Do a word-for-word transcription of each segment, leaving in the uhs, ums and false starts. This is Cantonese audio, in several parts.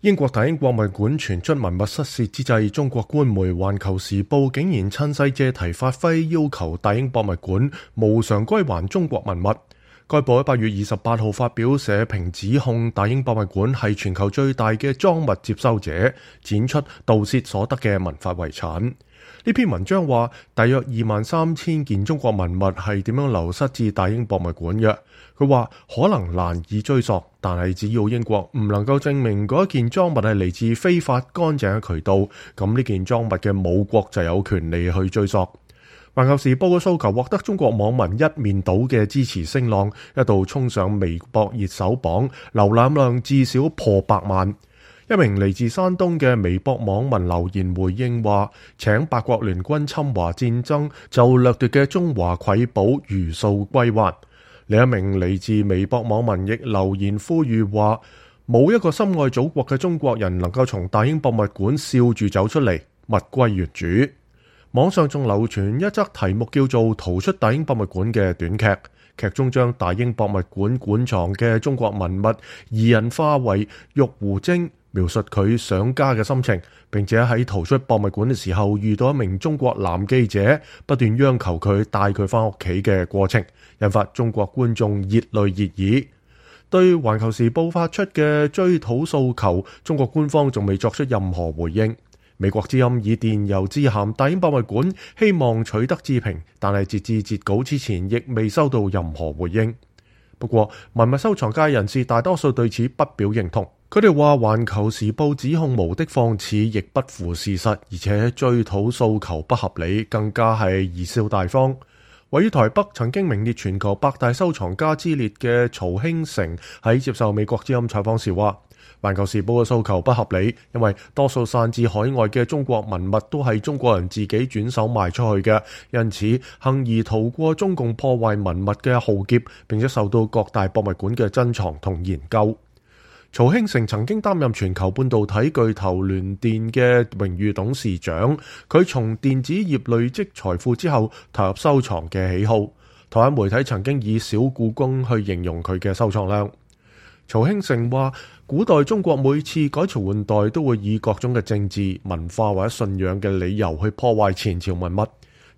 英國大英博物館傳出文物失竊之際，中國官媒《環球時報》竟然趁勢借題發揮，要求大英博物館無償歸還中國文物。該報喺八月二十八號發表社評，指控大英博物館係全球最大嘅贓物接收者，展出盜竊所得嘅文化遺產。呢篇文章話，大約二萬三千件中國文物係點樣流失至大英博物館嘅。佢話可能難以追溯，但係只要英國唔能夠證明嗰一件贓物係嚟自非法乾淨嘅渠道，咁呢件贓物嘅母國就有權利去追溯。環球時報嘅訴求獲得中國網民一面倒嘅支持聲浪，一度衝上微博熱搜榜，瀏覽量至少破百萬。一名嚟自山東嘅微博網民留言回應話，請八國聯軍侵華戰爭就掠奪嘅中華瑰寶如數歸還。另一名嚟自微博網民亦留言呼籲話，冇一個深愛祖國嘅中國人能夠從大英博物館笑住走出嚟，物歸原主。網上仲流傳一則題目叫做《逃出大英博物館》嘅短劇，劇中將大英博物館館藏嘅中國文物擬人化為玉狐精，描述佢想家嘅心情，並且喺逃出博物館嘅時候遇到一名中國男記者，不斷央求佢帶佢返屋企嘅過程，引發中國觀眾熱淚熱議。對環球時報發出嘅追討訴求，中國官方仲未作出任何回應。美國之音以電郵致函大英博物館，希望取得置評，但係截至截稿之前亦未收到任何回應。不過文物收藏界人士大多數對此不表認同，佢哋話環球時報指控無的放矢，亦不符事實，而且追討訴求不合理，更加係貽笑大方。位於台北曾經名列全球百大收藏家之列嘅曹興成喺接受美國之音採訪時話，環球時報嘅訴求不合理，因為多數散至海外嘅中國文物都係中國人自己轉手賣出去嘅，因此幸而逃過中共破壞文物嘅浩劫，並且受到各大博物館嘅珍藏同研究。曹興成曾經擔任全球半導體巨頭聯電嘅榮譽董事長，佢從電子業累積財富之後投入收藏嘅喜好。台灣媒體曾經以小故宮去形容佢嘅收藏量。曹興成話，古代中國每次改朝換代都會以各種嘅政治、文化或者信仰嘅理由去破壞前朝文物。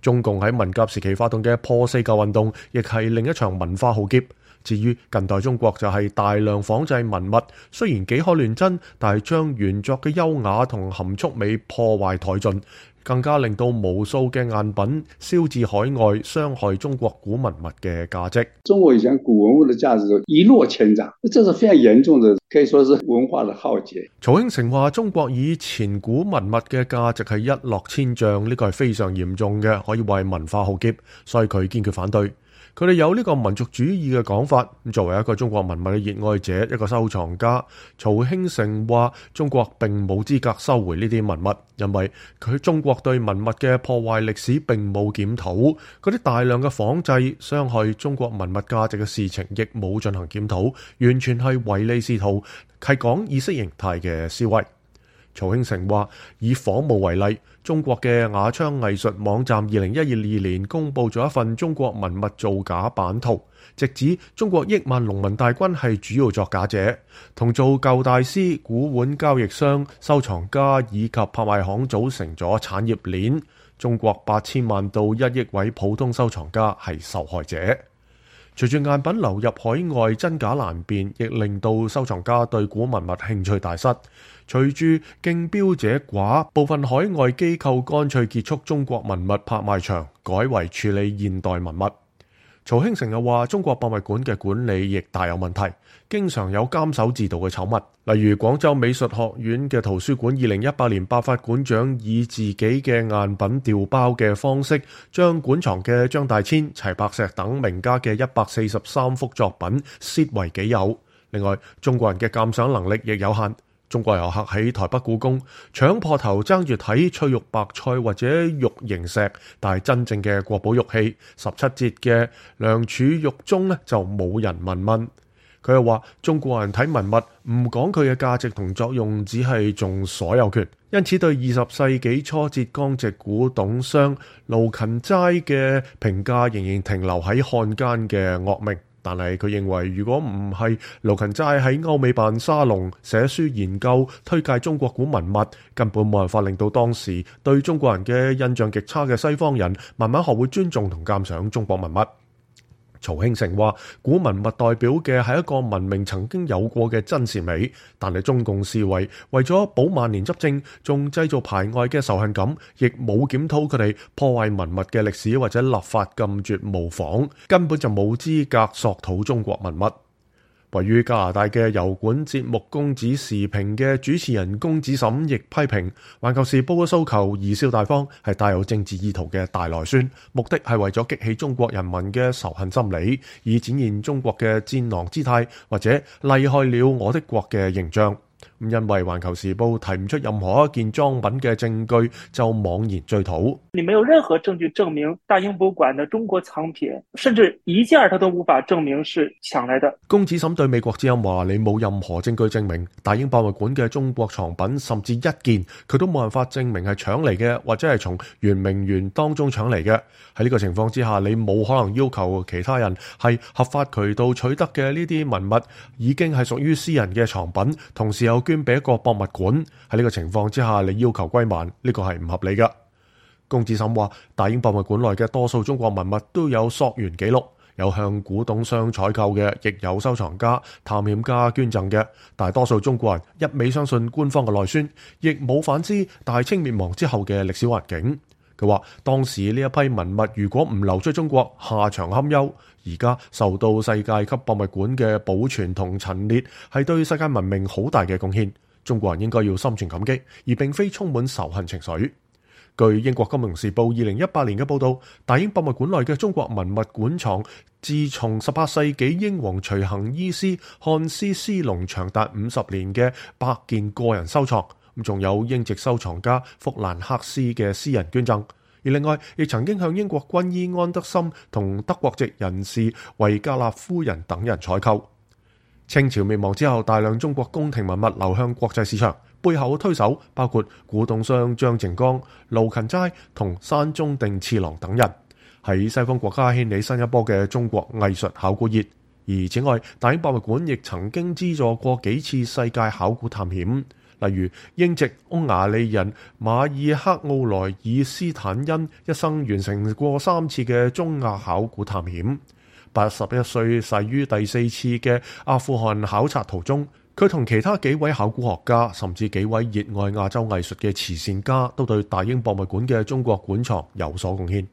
中共喺文革時期發動嘅破四舊運動，亦係另一場文化浩劫。至於近代中國就係大量仿製文物，雖然幾可亂真，但係將原作嘅優雅同含蓄美破壞殆盡，更加令到無數嘅贋品銷至海外，傷害中國古文物嘅價值。中國以前古文物的價值一落千丈，這是非常嚴重的，可以說是文化的浩劫。曹興成話，中國以前古文物嘅價值係一落千丈，呢個係非常嚴重嘅，可以話係文化浩劫，所以佢堅決反對。佢哋有呢個民族主義嘅講法。作為一個中國文物嘅熱愛者，一個收藏家，曹興成話中國並冇資格收回呢啲文物，因為佢中國對文物嘅破壞歷史並冇檢討，嗰啲大量嘅仿製傷害中國文物價值嘅事情亦冇進行檢討，完全係唯利是圖，係講意識形態嘅思維。曹興成話，以仿冒為例，中國嘅雅昌藝術網站二零一二年公布咗一份中國文物造假版圖，直指中國億萬農民大軍係主要作假者，同做舊大師、古玩交易商、收藏家以及拍賣行組成咗產業鏈。中國八千萬到一億位普通收藏家係受害者。隨住贋品流入海外，真假難辨，亦令到收藏家對古文物興趣大失。隨住競標者寡，部分海外機構乾脆結束中國文物拍賣場，改為處理現代文物。曹興成又話，中國博物館嘅管理亦大有問題，經常有監守自盜嘅醜聞。例如廣州美術學院嘅圖書館二零一八年爆發館長以自己嘅贋品調包嘅方式，將館藏嘅張大千、齊白石等名家嘅一百四十三幅作品竊為己有。另外，中國人嘅鑑賞能力亦有限。中國遊客喺台北故宮搶破頭爭住睇翠玉白菜或者玉螢石，但係真正嘅國寶玉器十七節嘅良渚玉鐘呢，就冇人問問。佢又話中國人睇文物唔講佢嘅價值同作用，只係重所有權，因此對二十世紀初浙江籍古董商盧芹齋嘅評價仍然停留喺漢奸嘅惡名。但係佢認為，如果唔係盧芹齋喺歐美辦沙龍寫書研究推介中國古文物，根本冇辦法令到當時對中國人嘅印象極差嘅西方人慢慢學會尊重同鑑賞中國文物。曹興誠話：古文物代表嘅係一個文明曾經有過嘅真善美，但係中共視為為咗保萬年執政，仲製造排外嘅仇恨感，亦冇檢討佢哋破壞文物嘅歷史或者立法禁絕模仿，根本就冇資格索討中國文物。位於加拿大嘅油管節目《公子時評》嘅主持人公子沈亦批評《環球時報》嘅訴求貽笑大方，係帶有政治意圖嘅大內宣，目的係為咗激起中國人民嘅仇恨心理，以展現中國嘅戰狼姿態或者厲害了我的國嘅形象。因為《環球時報》提唔出任何一件贓品嘅證據，就妄言追討。你沒有任何證據證明大英博物館的中國藏品，甚至一件他都無法證明是搶來的。公子沈對美國之音話：你冇任何證據證明大英博物館嘅中國藏品，甚至一件佢都冇辦法證明係搶嚟嘅，或者係從圓明園當中搶嚟嘅。喺呢個情況之下，你冇可能要求其他人係合法渠道取得嘅呢啲文物已經係屬於私人嘅藏品，同時又捐俾一個博物館。喺呢個情況之下，你要求歸還，呢個係唔合理㗎。公子沈話：大英博物館內嘅多數中國文物都有溯源記錄，有向古董商採購嘅，亦有收藏家、探險家捐贈嘅。大多數中國人一味相信官方嘅內宣，亦冇反思大清滅亡之後嘅歷史環境。佢話當時呢一批文物如果唔流出中國，下場堪憂。而家受到世界級博物館嘅保存同陳列，係對世界文明好大嘅貢獻。中國人應該要心存感激，而並非充滿仇恨情緒。據英國金融時報二零一八年嘅報導，大英博物館內嘅中國文物館藏，自從十八世紀英皇隨行醫師漢斯斯隆長達五十年嘅百件個人收藏，咁仲有英籍收藏家福蘭克斯嘅私人捐贈。而另外，亦曾經向英國軍醫安德森同德國籍人士維格納夫人等人採購。清朝滅亡之後，大量中國宮廷文物流向國際市場，背後推手包括古董商張靜剛、盧芹齋同山中定次郎等人，喺西方國家掀起新一波嘅中國藝術考古熱。而此外，大英博物館亦曾經資助過幾次世界考古探險，例如英籍匈牙利人馬爾克奧萊爾斯坦恩一生完成過三次嘅中亞考古探險。八十一歲逝於第四次嘅阿富汗考察途中，佢同其他幾位考古學家，甚至幾位熱愛亞洲藝術嘅慈善家，都對大英博物館嘅中國館藏有所貢獻。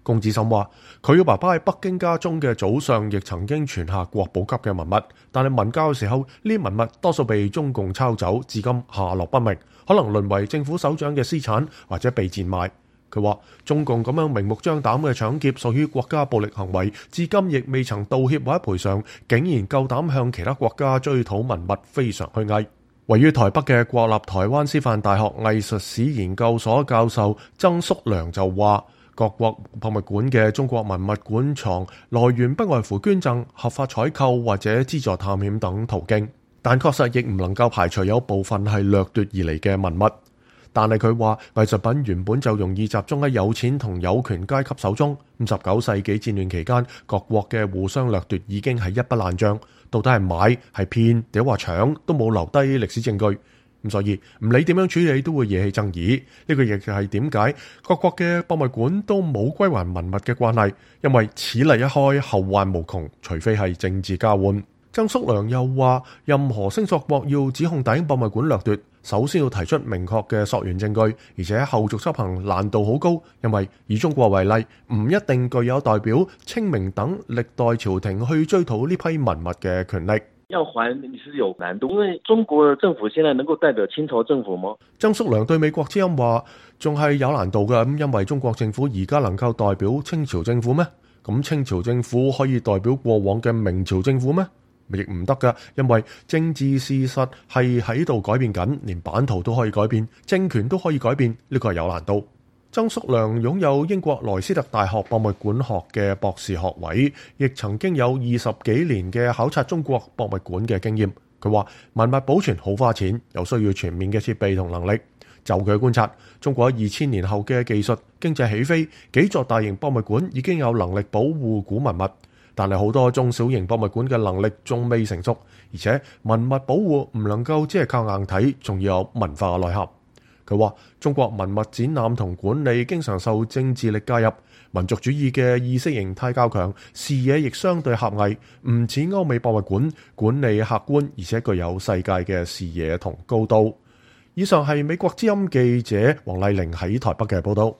公子沈話：佢嘅爸爸喺北京家中嘅祖上亦曾經傳下國寶級嘅文物，但係文交嘅時候，呢啲文物多數被中共抄走，至今下落不明，可能淪為政府首長嘅私產，或者被賤賣。佢話：中共咁樣明目張膽嘅搶劫屬於國家暴力行為，至今亦未曾道歉或者賠償，竟然夠膽向其他國家追討文物，非常虛偽。位於台北嘅國立台灣師範大學藝術史研究所教授曾叔良就話：各國博物館嘅中國文物館藏來源不外乎捐贈、合法採購或者資助探險等途徑，但確實亦唔能夠排除有部分係掠奪而嚟嘅文物。但係佢話藝術品原本就容易集中喺有錢同有權階級手中。十九世紀戰亂期間，各國嘅互相掠奪已經係一筆爛賬，到底係買係騙定話搶都冇留低歷史證據。咁所以唔理點樣處理都會惹起爭議。呢個亦係點解各國嘅博物館都冇歸還文物嘅慣例，因為此例一開後患無窮，除非係政治交換。曾叔良又話，任何聲索國要指控大英博物館掠奪，首先要提出明確嘅溯源證據，而且後續執行難度好高，因為以中國為例，唔一定具有代表清明等歷代朝廷去追討呢批文物嘅權力。要還你是有難度，因為中國政府現在能夠代表清朝政府嗎？曾叔良對美國之音話，仲係有難度嘅，咁因為中國政府而家能夠代表清朝政府咩？咁清朝政府可以代表過往嘅明朝政府咩？亦唔得㗎，因為政治事實係喺度改變緊，連版圖都可以改變，政權都可以改變，呢個係有難度。曾叔良擁有英國萊斯特大學博物館學嘅博士學位，亦曾經有二十幾年嘅考察中國博物館嘅經驗。佢話文物保存好花錢，又需要全面嘅設備同能力。就佢嘅觀察，中國喺二千年後嘅技術經濟起飛，幾座大型博物館已經有能力保護古文物。但係好多中小型博物館嘅能力仲未成熟，而且文物保護唔能夠只係靠硬體，仲要有文化嘅內涵。佢話中國文物展覽同管理經常受政治力介入，民族主義嘅意識形態較強，視野亦相對狹隘，唔似歐美博物館管理客觀，而且具有世界嘅視野同高度。以上係美國之音記者黃麗玲喺台北嘅報道。